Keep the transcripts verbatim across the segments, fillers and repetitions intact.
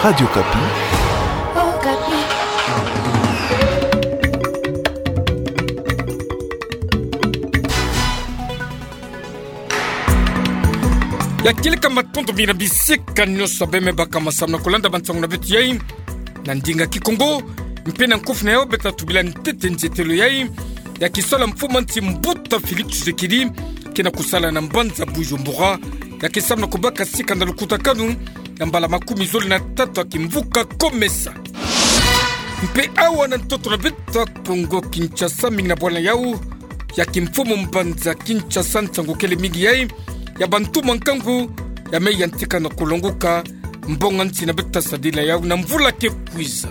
Radio Okapi. Okapi. Ya kieleka matondo mingi na bisika nyonso abe me baka masamu na kulanda bansangu na beto yai na ndinga Kikongo, mpe na nkofi na yau beta tubila ntete nzietelo yai ya kisalu ya mfumu a nsi mbuta Félix Tshisekedi, ke na kusala na mbanza Bujumbura, ya ke samu na kubaka sika na lukutakanu ya mbala makumi zole na tatu ya kimvuka COMESA. Mpe awa na ntoto na beto ya Kongo Kinshasa, mingi na bwala na yau ya kimfumu mbanza Kinshasa, nsangu kele mingi yai ya bantumwa nkangu ya me yantika na kulongoka mbongo a nsi na beto ta sadila yau na mvula ke kwiza.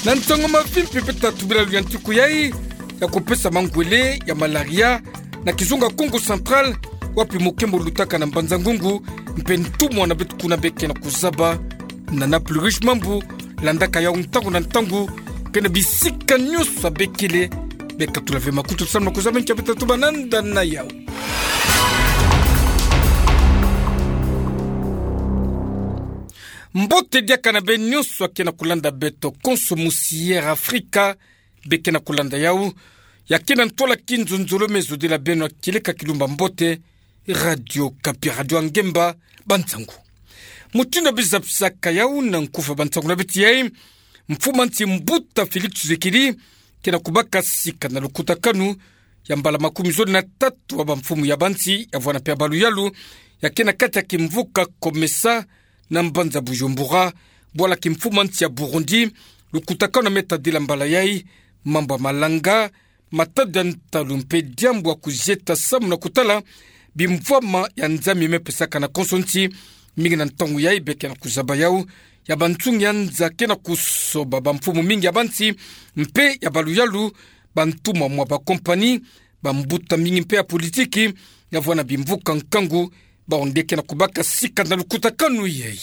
Na nsangu mavimpi beta tubila luyantiku yai ya kupesa mangwele ya malaria na kizunga Kongo Central, wapi mokembo lutaka na Mbanza-Ngungu, mpe ntumwa na beto kuna be ke na kuzaba na Nana Plus Riche Mambu, landaka yau ntangu na ntangu, ke na bisika nyonso abe kele. Beka tula ve makutu samu na kuzaba nkia beta tuba nanda na yau. Mbote diaka na beno nyonso ake na kulanda beto konso musi Air Afrika, be ke na kulanda yau. Ya ke na ntwala kinzonzolo me zodila beno ya kieleka kilumba mbote, Radio Okapi, radio ya ngemba, bansangu. Mutindu ya bizapisaka yau na nkufi ya bansangu na beto yai, mfumu a nsi mbuta Félix Tshisekedi ke na kubaka sika na lukutakanu ya mbala makumi zole na tatu ya bamfumu ya bansi, ya vwanda mpe ya baluyalu, ya ke na kati ya kimvuka COMESA na mbanza Bujumbura, bwala kimfumu a nsi ya Burundi. Lukutakanu ya me tadila mbala yai, mambu ya malanga, matadi ya ntalu mpe diambu ya kuzieta samu na kutala bimvwama ya nzami me pesaka na konso nsi. Mingi na ntangu yai be ke na kuzaba yau ya bansungi ya nza ke na kusoba bamfumu mingi ya bansi mpe ya baluyalu, bantumwa mwa bakompani, bambuta mingi mpe ya politiki, ya vwanda bimvuka nkangu, bawu nde ke na kubaka sika na lukutakanu yai.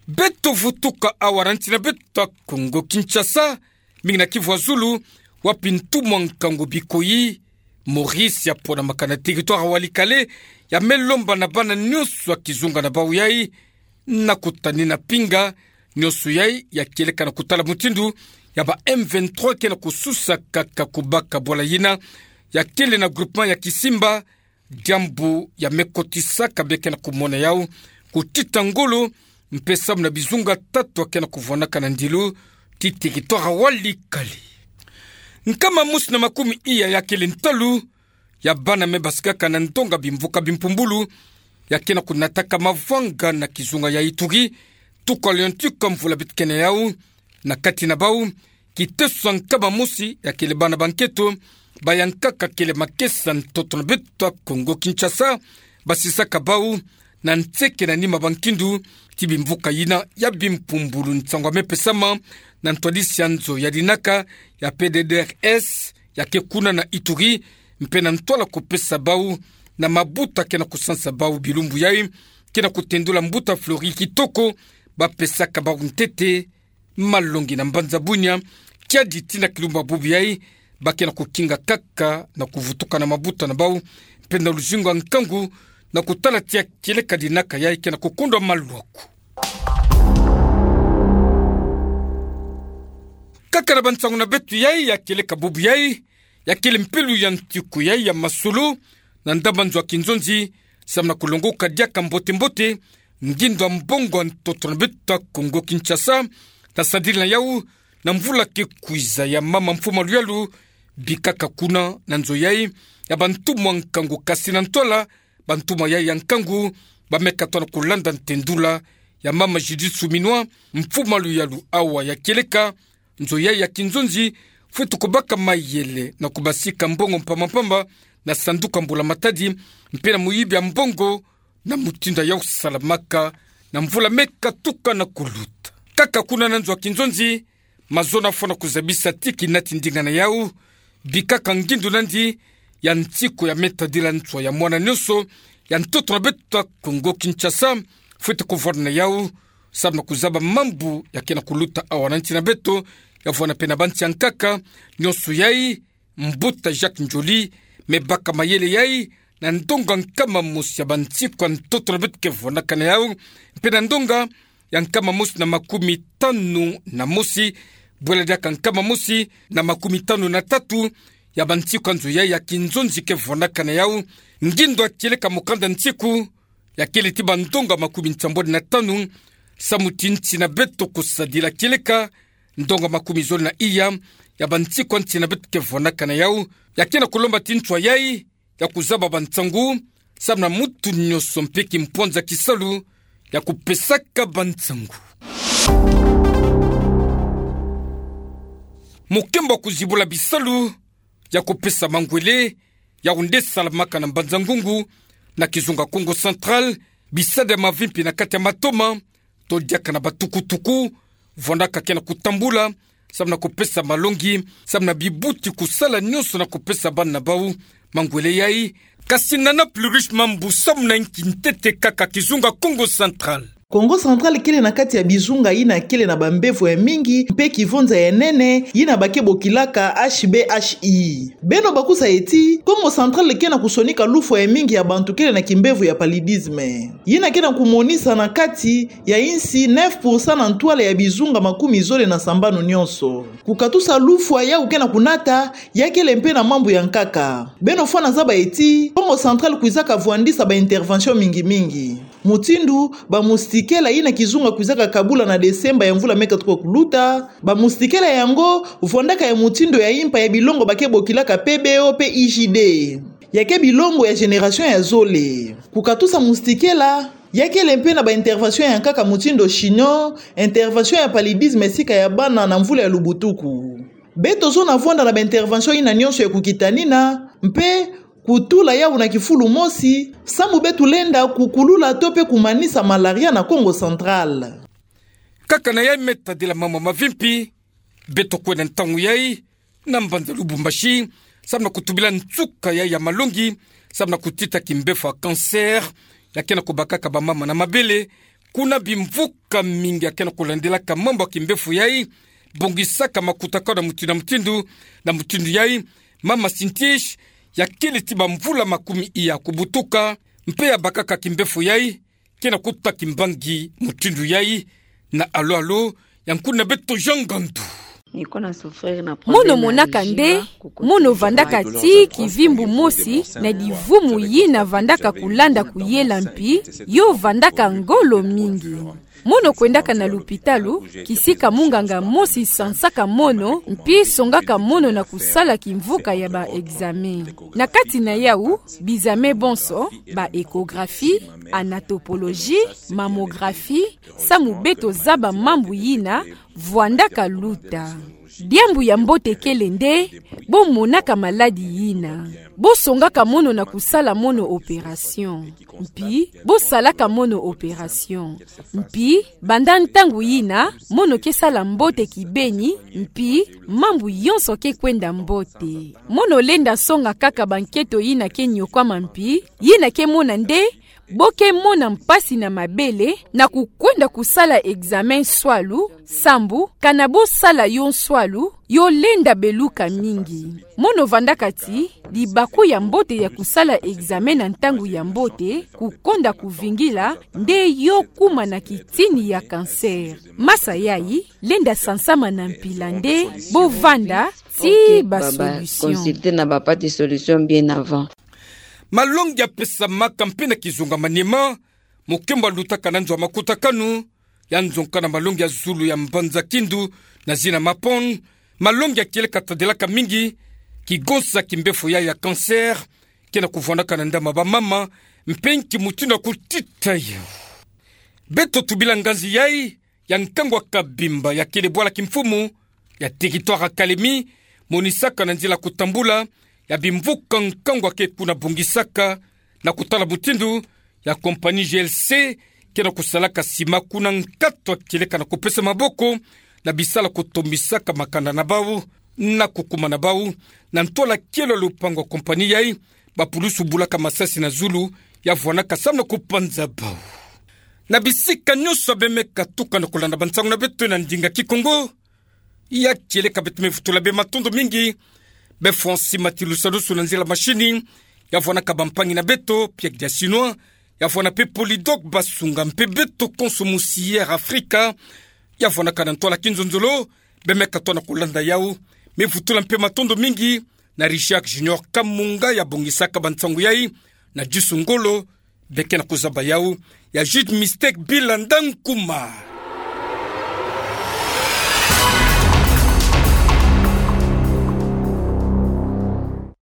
Beto vutuka awa na nsi na beto ya Kongo Kinshasa, mingi na Kivu ya zulu, wapi ntumwa nkangu Bikoyi Maurice ya ponamaka na territoire ya Walikale, ya me lomba na bana nyonso ya kizunga na bawu yai na kutanina pinga nyonso yai ya kieleka na kutala mutindu ya ba M vingt-trois ke na kususa kaka kubaka bwala yina ya kele na groupement ya Kisimba, diambu ya me kotisaka be ke na kumona yau kutita ngolo, mpe samu na bizunga tatu ya ke na kuvwanaka na ndilu ti territoire ya Walikale. Nkama mosi na makumi iya ya kele ntalu ya bana me basikaka na ndonga bimvuka bimpumbulu ya ke na kunataka mavwanga na kizunga ya Ituri, tuka liontika mvula beto ke na yau, na kati na bawu kiteso ya nkama mosi ya kele bana ba nketo, bayankaka kele makesa ntoto na beto ya Kongo Kinshasa, basisaka bawu na nseke na nima ba nkindu ti bimvuka yina ya bimpumbulu. Nsangu ya me pesama na ntwadisi ya nzo ya dinaka ya P D D R S ya ke kuna na Ituri, mpe na ntwala kupesa bawu na mabuta ke na kusansa bawu bilumbu yai, ke na kutendula mbuta Flori Kitoko, bapesaka bawu ntete malongi na mbanza Bunia, kiadi tii na kilumbu ya bubu yai, ba ke na kukinga kaka na kuvutuka na mabuta na bawu, mpe na luzingu ya nkangu, na kutala tii ya kieleka dinaka yai ke na kukundwa maluaku. Kaka na bansangu na beto yai ya kieleka bubu yai, ya kele mpe luyantiku yai ya masolo, na ndambu nzo ya kinzonzi, samu na kulongoka diaka mbote-mbote ngindu ya mbongo ya ntoto na beto ya Kongo Kinshasa, na sadila na yau na mvula ke kwiza ya mama mfumu a luyalu, bikaka kuna na nzo yai ya bantumwa nkangu, kasi na ntwala bantumwa yai ya nkangu, ba me katwa na kulanda ntendula ya mama Judith Suminwa, mfumu a luyalu awa ya kieleka nzo yai ya kinzonzi, fwete kubaka mayele na kubasika mbongo mpamba-mpamba na sanduku ya mbula matadi, mpe na muyibi ya mbongo, na mutindu ya kusalamaka na mvula me katuka na kuluta. Kaka kuna na nzo ya kinzonzi, mazono afwa na kuzabisa ti kinati ndinga na yau, bikaka ngindu nandi ya nsiku ya me tadila nswa ya mwana nyonso ya ntoto na beto ya Kongo Kinshasa, fwete kuvwanda na yau, samu na kuzaba mambu ya ke na kuluta awa na nsi na beto, ya vwanda mpe na bansi ya nkaka, nyonso yai, mbuta Jacques Ndjoli me baka mayele yai na ndonga nkama mosi ya bansiku ya ntoto na beto ke vwandaka na yau, mpe na ndonga ya nkama mosi na makumi tanu na mosi, bwela diaka nkama mosi na makumi tanu na tatu, ya bansiku ya nzo yayi ya kinzonzi ke vwandaka na yau, ngindo ya kieleka mokanda nsiku, ya kele ti bandonga makumi nsambwadi na tanu, samu ti nsi na beto kusadila kieleka, ndonga makumi zole na iya, ya bansiku ya nsi na beto ke vwandaka na yau, ya ke na kulomba ti nswa yayi, ya kuzaba bansangu, samu na mutu nyonso mpe kimpwanza kisalu, ya kupesaka bansangu. Mokembo ya kuzibula bisalu, ya kupesa mangwele, yau nde salamaka na Mbanza-Ngungu, na kizunga Kongo Central, bisade ya mavimpi na kati ya matoma, to diaka na batukutuku, vwandaka ke na kutambula, samu na kupesa malongi, samu na bibuti kusala nyonso na kupesa bana na bau mangwele yayi. Kasi Nana Plurish Mambu, samu na inki ntete kaka kizunga Kongo Central. Kongo Central kele na kati ya bizunga yina kele na bambevo ya mingi, mpe kivonza ya nene, yina ba ke bokilaka H B H I. Beno bakusa ye ti, Kongo Central ke na kusonika lufwa ya mingi ya bantu kele na kimbevo ya paludisme. Yina ke na kumonisa na kati ya insi neuf pour cent na ntwala ya bizunga makumi zole na sambanu nyonso. Kukatusa lufwa yau ke na kunata, ya kele mpe na mambu ya nkaka. Beno fwana zaba ye ti, Kongo Central kwizaka vwandisa ba intervention mingi mingi. Mutindu, ba moustiquaire yina kizunga kwizaka kabula na Desemba ya mvula me katuka kuluta, ba moustiquaire yango, vwandaka ya mutindu ya impa ya bilongo ba ke bokilaka P B O mpe I G D. Ya ke bilongo ya génération ya zole. Kukatusa moustiquaire, ya kele mpe na ba intervention ya nkaka mutindu chignon, intervention ya paludisme sika ya bana na mvula ya lubutuku. Beto zola vwanda na ba intervention yina nyonso ya kukitanina, mpe kutula yau na kifulu mosi, samu beto lenda kukulula to mpe kumanisa malaria na Kongo Central. Kaka na yayi me tadila mambu mavimpi, beto kwenda ntangu yayi na mbanza Lubumbashi, samu na kutubila nsuka yayi ya malongi, samu na kutita kimbevo ya cancer, ya ke na kubakaka bamama na mabele, kuna bimvuka mingi ya ke na kulandilaka mambu ya kimbevo yayi, bongisaka makutakano na mutindu na mutindu, na mutindu yayi, mama Sintish, ya kele ti bamvula makumi iya kubutuka, mpe ya bakaka kimbevo yayi, ke na kuta kimbangi mutindu yayi, na Alo Alo, ya nkuna beto Jean Ngandu. Mono monaka nde, mono vandaka ti kivimbu mosi na divumu yina vandaka kulanda kuyela mpi, yo vandaka ngolo mingi. Mono kwendaka na lupitalu, kisika munganga mosi sansaka mono, mpi songaka mono na kusala kimvuka ya ba examen. Na kati na yau, bizame bonso, ba échographie, anatopologie, mammographie, samu beto zaba mambu yina vwandaka luta. Diambu ya mbote kele nde, bo monaka maladi yina, bo songaka mono na kusala mono opération. Mpi, bo salaka mono opération. Mpi, banda ntangu yina, mono ke sala mbote kibeni, mpi, mambu yonso ke kwenda mbote. Mono lenda songa kaka banketo yina ke nyokwama mpi, yina ke mona nde, bo ke mona mpasi na mabele, na kukwenda kusala examen nswalu, sambu, kana bo sala yo nswalu, yo lenda beluka mingi. Mono vandaka ti, libaku ya mbote ya kusala examen na ntangu ya mbote, kukonda kuvingila, nde yo kuma na kitini ya cancer. Masa yayi, lenda sansama na mpila nde, bo vanda, ti ba solution. Consulter na ba parti solution bien avant. Malongi ya pesamaka mpe na kizunga Maniema, mokembo ya lutaka na nzo ya makutakanu, ya nzonka na malongi ya zulu ya mbanza Kindu, na zina Mapon, malongi ya kieleka tadilaka mingi, kigonsa kimbefo ya, ya cancer, ke na kuvwandaka na ndama bamama, mpe nki mutindu ya kutita yo. Beto tubila nganzi yayi, ya nkangu ya Kabimba ya kele bwala kimfumu ya territoire ya Kalemi, monisaka na nzila kutambula ya bimvuka nkangu ya ke kuna bongisaka na kutala mutindu ya compagnie G L C ke na kusalaka sima kuna nkatu ya kieleka na kupesa maboko na bisalu kutombisaka makanda na bau na kukuma na bau, na ntwala kielo ya lupangu ya compagnie yayi, bapulusu bulaka masasi na zulu ya vwandaka samu na kupanza bau. Na bisika nyonso beno me katuka na kulanda bansangu na beto na ndinga Kikongo, ya kieleka beto me vutula beno matondo mingi, beno fwa nsi matilusalusu na nzila mashini, ya vwandaka bampangi na beto, Pierre Diasinois, Ya vwanda mpe Polydor Basunga mpe beto konso mosi Air Africa. Ya vwanda kana ntwala kinzonzolo, beme katoa na kolanda yau. Mevutula mpe matondo mingi na Richard Junior Kamunga ya bongisaka bansangu yai, na Djusu Ngolo, beke na kozaba yau, ya Jude Mistake Bilanda Nkuma.